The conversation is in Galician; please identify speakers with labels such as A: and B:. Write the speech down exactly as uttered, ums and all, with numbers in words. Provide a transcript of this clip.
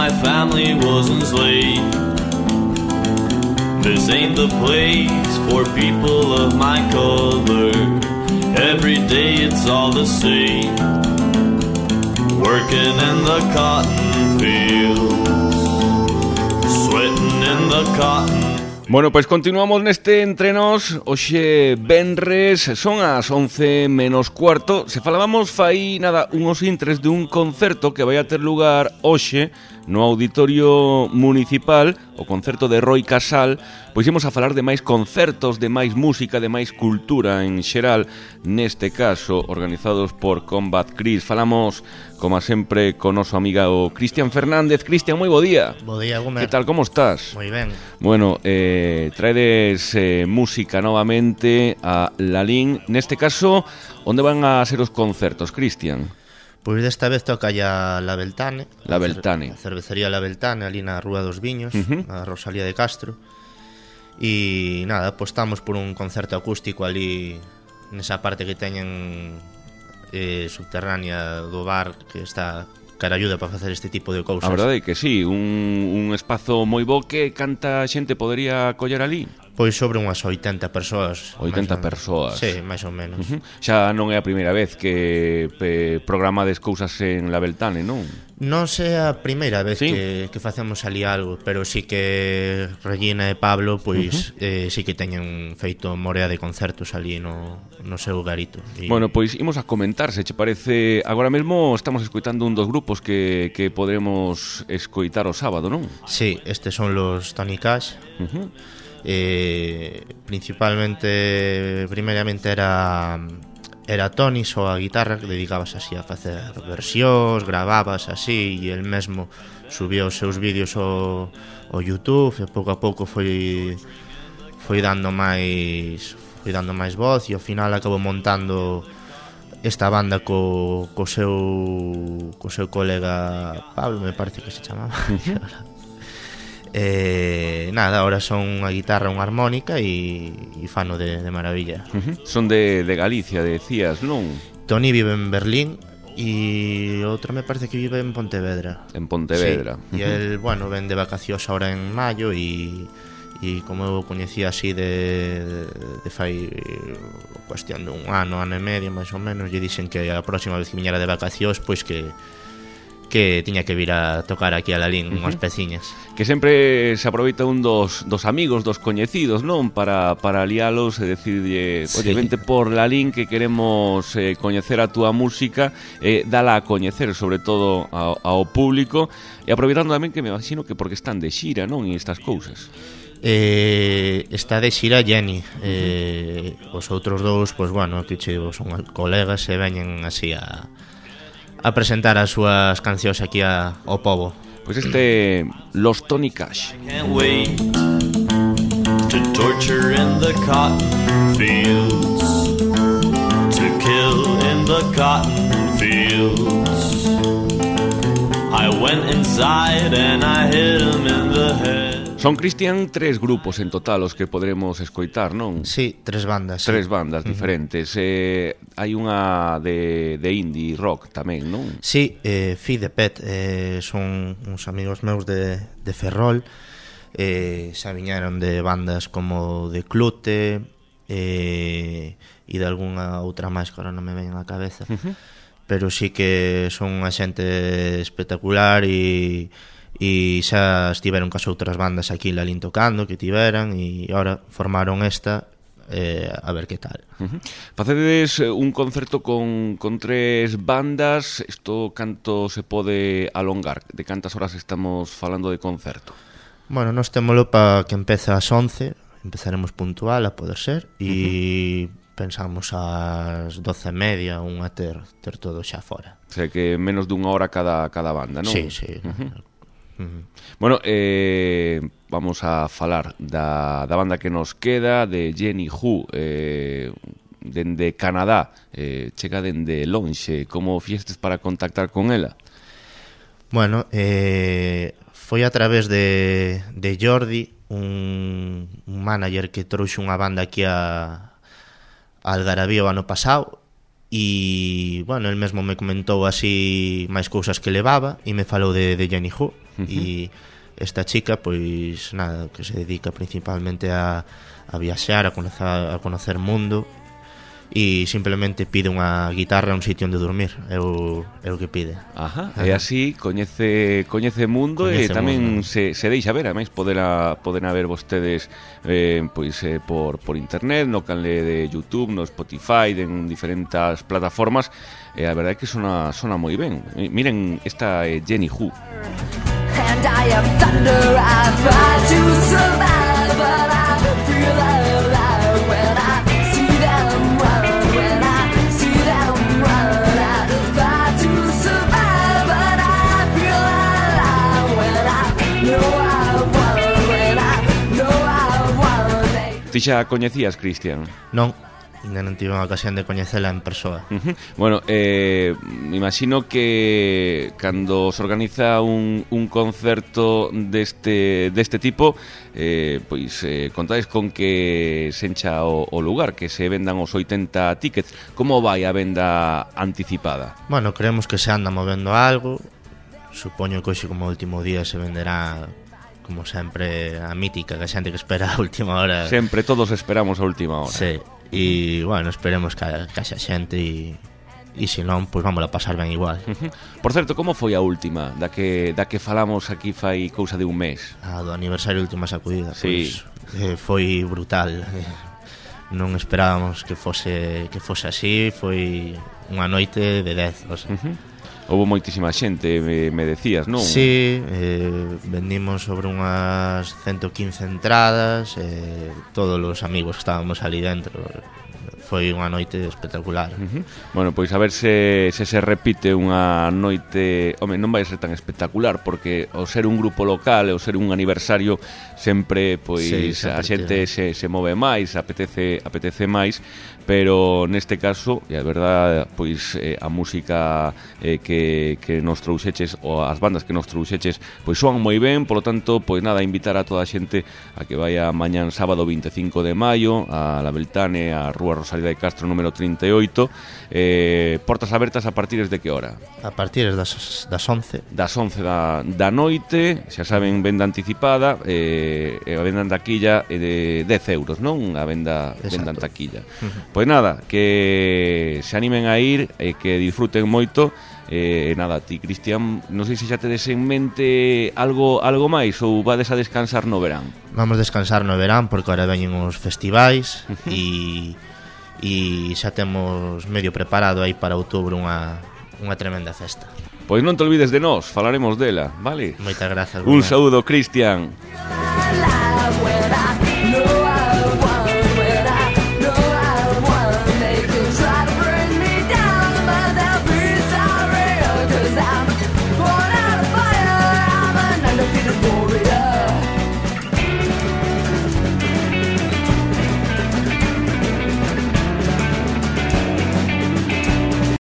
A: my family was enslaved. This ain't the place for people of my color. Every day it's all the same. Working in the cotton fields, sweating in the cotton.
B: Bueno, pois continuamos neste entrenos. Hoxe venres, son as once menos cuarto. Se falábamos fai nada unhos intres de un concerto que vai a ter lugar hoxe no Auditorio Municipal, o concerto de Roi Casal. Pois imos a falar de máis concertos, de máis música, de máis cultura en xeral, neste caso organizados por Combat Cris. Falamos, como sempre, con noso amiga o Cristian Fernández. Cristian, moi bo día.
C: Bo día, Gómez.
B: Que tal, como estás?
C: Moi ben.
B: Bueno, eh, traedes eh, música novamente a Lalín. Neste caso, onde van a ser os concertos, Cristian?
C: Pois desta vez toca ya La Beltane.
B: La Beltane.
C: A cervecería La Beltane, ali na Rúa dos Viños,
B: Uh-huh.
C: a Rosalía de Castro. E nada, apostamos por un concerto acústico ali nesa parte que teñen eh, subterránea do bar, que está caralluda para facer este tipo de cousas.
B: A verdade é que sí, un, un espazo moi bo. Que canta xente podería coller ali?
C: Pois sobre unhas oitenta persoas.
B: oitenta
C: máis ou-
B: persoas.
C: Sí, máis ou menos.
B: Uh-huh. Xa non é a primeira vez que pe, programades cousas en La Beltane, non?
C: Non sei a primeira vez
B: Sí.
C: que, que facemos ali algo, pero sí que Regina e Pablo pois uh-huh. eh, sí que teñen feito morea de concertos ali no, no seu garito. E...
B: Bueno, pois imos a comentar, se che parece. Agora mesmo estamos escoitando un dos grupos que, que podremos escoitar o sábado, non?
C: Sí, estes son los Tony Cash.
B: Uh-huh.
C: eh, Principalmente, primeramente era... Era Tony só a guitarra, que dedicabas así a facer versións, gravabas así, e el mesmo subía os seus vídeos ao, ao YouTube, e pouco a pouco foi foi dando máis foi dando máis voz, e ao final acabou montando esta banda co, co seu co seu colega Pablo, me parece que se chamaba. Eh, nada, ahora son unha guitarra, unha armónica e, e fano de, de maravilla.
B: Uh-huh. Son de, de Galicia, decías, non?
C: Tony vive en Berlín e outro me parece que vive en Pontevedra.
B: En Pontevedra.
C: Sí, e el, bueno, ven de vacacións ahora en maio e, e como eu coñecía así de, de, de fai cuestión de un ano, ano e medio máis ou menos, lle dixen que a próxima vez que viñera de vacacións pois que que tiña que vir a tocar aquí a Lalín, uh-huh. unhas peciñas.
B: Que sempre se aproveita un dos, dos amigos, dos coñecidos, non? Para, para lialos e decirlle, oye, sí. Vente por Lalín que queremos eh, coñecer a túa música, eh, dala a coñecer sobre todo ao, ao público, e aproveitando tamén que me imagino que porque están de xira, non? E estas cousas.
C: Eh, está de xira Jenny, eh, os outros dous, pois bueno, que che son colegas e veñen así a a presentar as súas cancións aquí a, ao pobo.
B: Pois este Los Tony Cash.
A: I can't wait to torture in the cotton fields, to kill in the cotton fields. I went inside and I hit him in the head.
B: Son, Cristian, tres grupos en total os que podremos escoitar, non?
C: Sí, tres bandas.
B: Tres
C: sí.
B: bandas diferentes. Uh-huh. eh, hai unha de, de indie rock tamén, non?
C: Sí, eh, Fi de Pet eh, son uns amigos meus de, de Ferrol. eh, Se viñeron de bandas como de Clute eh, e de algunha outra máis que ahora non me ven á cabeza. Uh-huh. Pero sí que son unha xente espectacular e e xa estiveron cas outras bandas aquí en Lalín tocando, que tiveran, e agora formaron esta, eh, a ver que tal.
B: Uh-huh. Facedes un concerto con, con tres bandas. Isto canto se pode alongar? De cantas horas estamos falando de concerto?
C: Bueno, nós témolo para que empece ás once, empezaremos puntual a poder ser, e uh-huh. pensamos ás doce e media, unha ter, ter todo xa fora.
B: O sea que menos dunha hora cada, cada banda, non?
C: Sí, sí.
B: Uh-huh. Uh-huh. Bueno, eh, vamos a falar da, da banda que nos queda, de Jenny Hu, eh, dende Canadá, eh, chega dende lonxe. Como fixestes para contactar con ela?
C: Bueno, eh, foi a través de, de Jordi, un, un manager que trouxe unha banda aquí a, a Algarabía o ano pasado, e, bueno, el mesmo me comentou así máis cousas que levaba e me falou de, de Jenny Hu. Uh-huh. E esta chica, pois, nada, que se dedica principalmente a, a viaxar, a conocer, a conocer mundo, e simplemente pide unha guitarra e un sitio onde dormir. É o, é o que pide.
B: Ajá, e así coñece coñece mundo coñece e tamén mundo. Se, se deixa ver, ademais podera, poden haber vostedes eh, pois eh, por, por internet, no canle de YouTube, no Spotify, en diferentes plataformas, e a verdade é que sona, sona moi ben. Miren, esta é Jenny Hu. And I am thunder, I try to survive, but I feel alive when I see them run, when I see them run. I try to survive, but I feel alive when I know I've won, when I know I've won. Ti xa coñecías, Cristian?
C: Non. Ainda non tive unha ocasión de coñecela en persoa.
B: Uh-huh. Bueno, eh, me imagino que cando se organiza un, un concerto deste, deste tipo, eh, pois eh, contáis con que se encha o, o lugar, que se vendan os oitenta tickets. Como vai a venda anticipada?
C: Bueno, creemos que se anda movendo algo. Supoño que hoxe como último día se venderá, como sempre, a mítica, que a xente que espera a última hora.
B: Sempre todos esperamos a última hora.
C: Sí. E, bueno, esperemos que, que haxa xente e, e se non, pois vamos a pasar ben igual.
B: Uh-huh. Por certo, como foi a última da que, da que falamos aquí fai cousa de un mes?
C: A do aniversario de Última Sacudida.
B: Sí.
C: Pois, eh, foi brutal. Eh, non esperábamos que fose, que fose así. Foi unha noite de dez, o sea.
B: Uh-huh. Houve moitísima xente, me, me decías, non?
C: Sí, eh, vendimos sobre unhas ciento quince entradas, eh, todos os amigos que estábamos ali dentro. Foi unha noite espectacular.
B: Uh-huh. Bueno, pois a ver se, se se repite unha noite. Home, non vai ser tan espectacular, porque ao ser un grupo local e ao ser un aniversario sempre, pois, sí, sempre a xente se, se move máis, apetece, apetece máis. Pero neste caso, e a verdade, pois eh, a música eh, que, que nos trouxeches, ou as bandas que nos trouxeches, pois soan moi ben. Por lo tanto, pois nada, invitar a toda a xente a que vaya mañán sábado vinte e cinco de maio a La Beltane, a Rúa Rosalía de Castro número trinta e oito. eh, Portas abertas a partir de que hora?
C: A partir das, das once.
B: Das once da, da noite. Xa saben, venda anticipada, eh, a venda en taquilla é de dez euros, non? A venda, venda en taquilla. Uh-huh. Pois nada, que se animen a ir e que disfruten moito. E eh, nada, ti, Cristian, non sei se xa tedes en mente algo algo máis ou vades a descansar no verán?
C: Vamos descansar no verán porque ahora veñen os festivais e e xa temos medio preparado aí para outubro unha unha tremenda festa.
B: Pois non te olvides de nós, falaremos dela, vale?
C: Moitas grazas.
B: Un saúdo, Cristian.